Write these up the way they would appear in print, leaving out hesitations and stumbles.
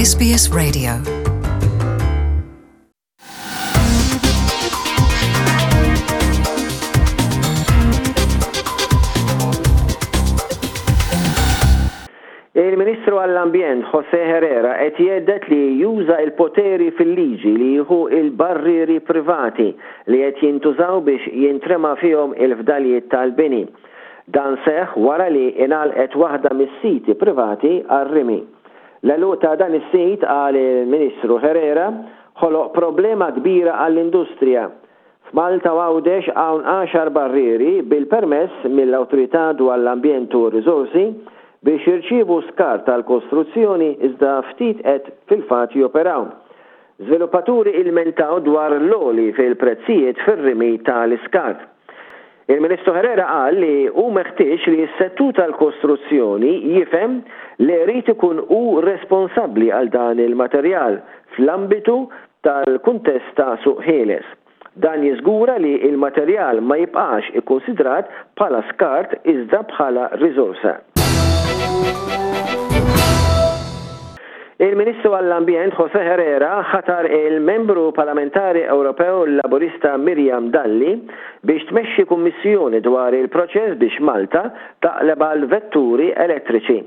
SBS Radio. Il-Ministru għall-Ambjent José Herrera qed jgħedded li juża l-poteri fil-liġi li jieħu l-barrieri privati li qed jintużaw biex jintrema fihom il-fdalijiet tal-bini. Dan seħħ wara li ingħalqet waħda mis-siti privati għar-rimi. L-għeluq ta' dan is-sit, qal il-Ministru Herrera, ħoloq problema kbira għall-industrija. F'Malta u Għawdex hawn għaxar barrieri bil-permess mill-Awtorità dwar l-Ambjent u r-Riżorsi biex jirċievu skart tal-kostruzzjoni iżda ftit qed fil-fatt joperaw. Żviluppaturi ilmentaw dwar l-għoli fil-prezzijiet fir-rimi tal-iskart. Il-Ministru Herrera qal li hu meħtieġ li s-settur tal-kostruzzjoni jifhem li jrid ikun hu responsabbli għal dan il-materjal fl-ambitu tal-kuntest ta' suq ħieles. Dan jiżgura li l-materjal ma jibqax ikkunsidrat bħala skart iżda bħala riżorsa. Il-Ministru għall-Ambjent José Herrera ħatar il-Membru Parlamentari Ewropew Laburista Miriam Dalli biex tmexxi kummissjoni dwar il-proċess biex Malta taqleb għal vetturi elettriċi.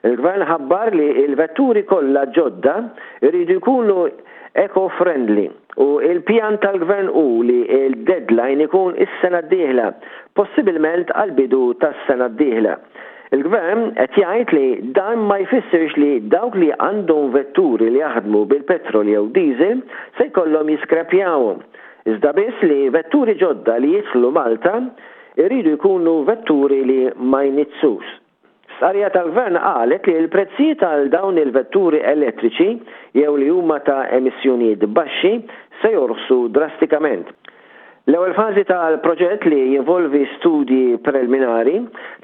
Il-Gvern ħabbar li l-vetturi kollha ġodda jridu jkunu eco-friendly u l-pjan tal-Gvern hu li l-deadline ikun is-sena d-dieħla, possibilment għall-bidu tas-sena d-dieħla. Il-Gvern qed jgħid li dan ma jfissirx li dawk li għandhom vetturi li jaħdmu bil-petrol jew diesel se jkollhom jiskrepjawhom, iżda biss li vetturi ġodda li jidħlu Malta jridu jkunu vetturi li ma jniġġsux. Stqarrija tal-Gvern qalet li l-prezzijiet għal dawn il-vetturi elettriċi jew li huma ta' emissjonijiet baxxi se jorħsu drastikament. L-ewwel fażi tal-proġett li jinvolvi studji prelminari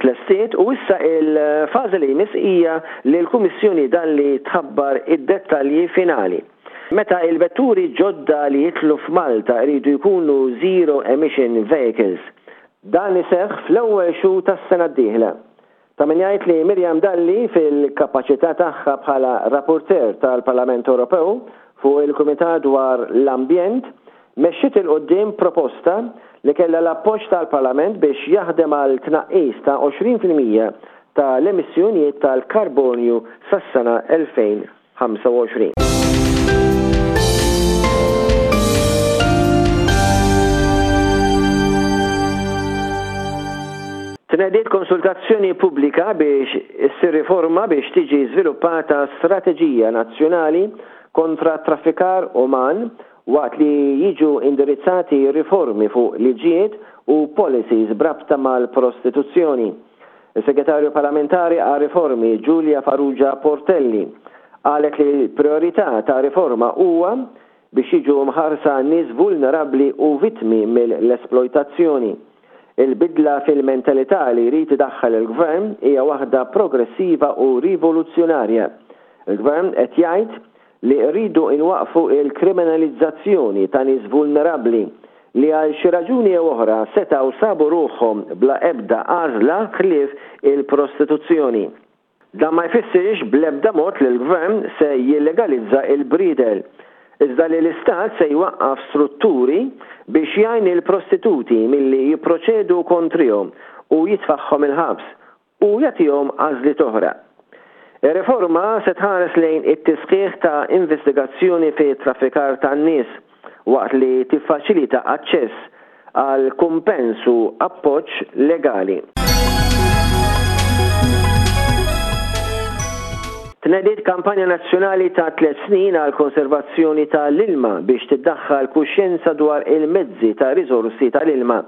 tlestiet u issa il-fażi li jmiss hija li l-Kummissjoni Dalli tħabbar id-dettalji finali. Meta il-vetturi ġodda li jidħlu f'Malta jridu jkunu zero emission vehicles. Dan iseħħ fl-ewwel xhur tas-sena d-dieħla. Ta' min jgħid li Miriam Dalli fil-kapaċità tagħha bħala rapporteur tal-Parlament Ewropew fuq il-Kumitat dwar l-Ambjent mexxiet 'il quddiem proposta li kellha l-appoġġ tal-Parlament biex jaħdem għal tnaqqis ta' 20% ta' l-emissjonijiet tal-karbonju sas-sena 2030. 25. Tnediet konsultazzjoni pubblika biex issir riforma biex tiġi żviluppata strateġija nazzjonali kontra t-traffikar uman waqt li jiġu indirizzati riformi fuq liġijiet u policies b'rabta mal-prostituzzjoni. Is-Segretarju Parlamentari għar-Riformi Julia Farrugia Portelli qalet li l-prijorità ta' riforma huwa biex jiġu mħarsa nies vulnerabbli u vittmi mill-esplojtazzjoni. Il-bidla fil-mentalità li jrid idaħħal il-Gvern hija waħda progressiva u rivoluzzjonarja. Il-Gvern qed jgħid li rridu nwaqqfu l-kriminalizzazzjoni ta' nies vulnerabbli li għal xi raġuni jew oħra setgħu sabu ruħhom bla ebda għażla ħlief il-prostituzzjoni. Dan ma jfissirx bl-ebda mod li l-Gvern se jillegalizza l-briedel, iżda li l-Istat se jwaqqaf strutturi biex jgħin lill-prostituti milli jipproċedu kontrihom u jitfagħhom il-ħabs u jagħtihom għażliet oħra. Ir-riforma se tħares lejn it-tisħiħ ta' investigazzjoni fi traffikar tan-nies waqt li tiffaċilita aċċess għal kumpens u appoġġ legali. Tnediet kampanja nazzjonali ta' tlett snin għall-konservazzjoni ta' l-ilma biex tiddaħħal kuxjenza dwar il-mezzi ta' riżorsi ta' l-ilma.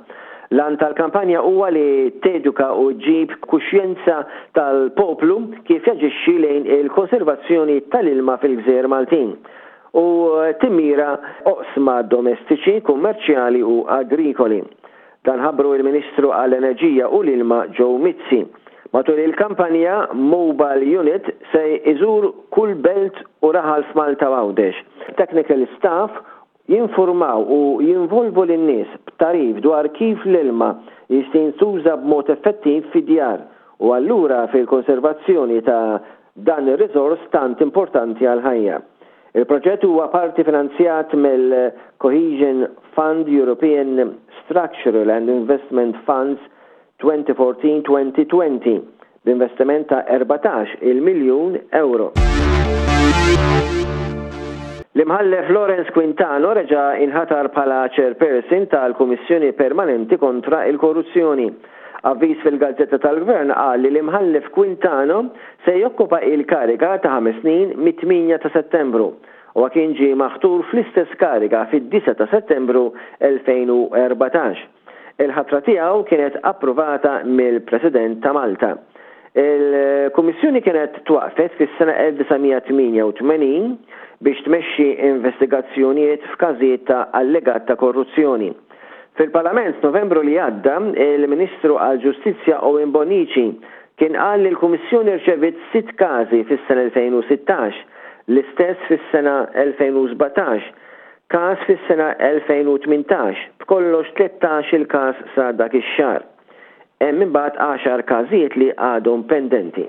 L-għan tal-kampanja huwa li teduka u ġġib kuxjenza tal-poplu kif jaġixxi lejn il-konservazzjoni tal-ilma fil-gżejjer Maltin u timmira oqsma domestiċi, kummerċjali u agrikoli. Dan ħabbru il-Ministru għall-Enerġija u l-Ilma Joe Mizzi. Matul il-kampanja, Mobile Unit se jżur kull belt u raħal f'Malta u Għawdex. Technical staff Jinfurmaw u jinvolvu lin-nies b'tagħrif dwar kif l-ilma jista' jintuża b'mod effettiv fid-djar u allura fil-konservazzjoni ta' dan ir-riżors tant importanti għall-ħajja. Il-proġett huwa parti finanzjat mill-Cohesion Fund European Structural and Investment Funds 2014-2020 b'investiment ta' 14 il miljun ewro. L-Imħallef Lawrence Quintano reġa' inħatar bħala Chairperson tal-Kummissjoni Permanenti kontra l-Korruzzjoni. Avviż fil-Gazzetta tal-Gvern qal li l-Imħallef Quintano se jokkupa il-kariga ta' ħames snin mit-tmienja ta' Settembru. Huwa kien ġie maħtur fl-istess kariga fid-disgħa ta' Settembru 2014. Il-ħatra tiegħu kienet approvata mill-President ta' Malta. Il-Kummissjoni kienet twaqqfet fis-sena 1988 biex tmexxi investigazzjonijiet f'każijiet ta' allegat ta' korruzzjoni. Fil-Parlament f'Novembru li għadda, il-Ministru għall-Ġustizzja Owen Bonnici kien qal li l-Kummissjoni rċeviet sitt każi fis-sena 2016, l-istess fis-sena 2017, każ fis-sena 2018, b'kollox 13-il każ sa dak ix-xahar. Hemm imbagħad għaxar każijiet li għadhom pendenti.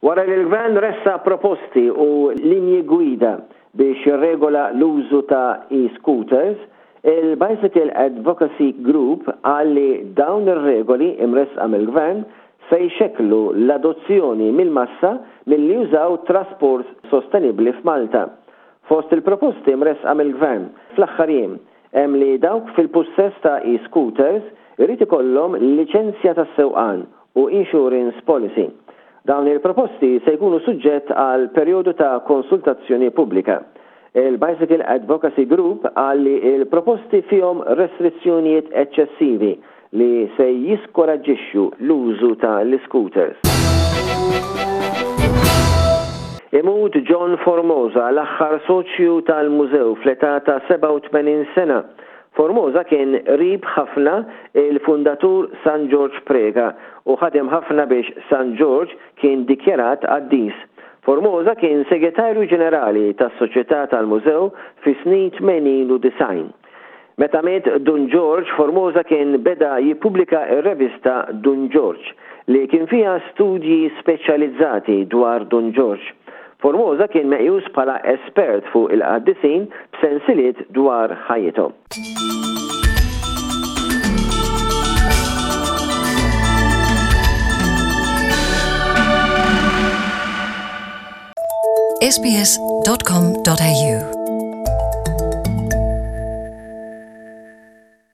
Wara li l-Gvern ressaq proposti u linji gwida biex jirregola l-użu ta' e-scooters, il-Bicycle Advocacy Group qal li dawn ir-regoli imressqa mill-Gvern se jxekklu l-adozzjoni mill-massa milli jużaw trasport sostenibbli f'Malta. Fost il-proposti mressqa mill-Gvern fl-aħħar jiem hemm li dawk fil-pussess ta' e-scooters irid ikollhom liċenzja tas-sewqan u insurance policy. Dawn il-proposti se jkunu suġġett għal perjodu ta' konsultazzjoni pubblika. Il-Bicycle Advocacy Group qal li l-proposti fihom restrizzjonijiet eċċessivi li se jiskoraġġixxu l-użu ta' l-iscooters. Imut John Formosa, l-aħħar soċju tal-mużew fl-età ta' 87 sena. Formosa kien qrib ħafna il-fundatur San Ġorġ Preca u ħadem ħafna biex San Ġorġ kien dikjarat qaddis. Formosa kien Segretarju Ġenerali tas-Soċjetà tal-Mużew fis-snin 80 u 90. Meta miet Dun Ġorġ, Formosa kien beda jippubblika r-revista Dun Ġorġ, li kien fiha studji speċjalizzati dwar Dun Ġorġ. Formosa kien meqjus bħala espert fuq il-qaddisin b'sensiliet dwar ħajjithom. sbs.com.au.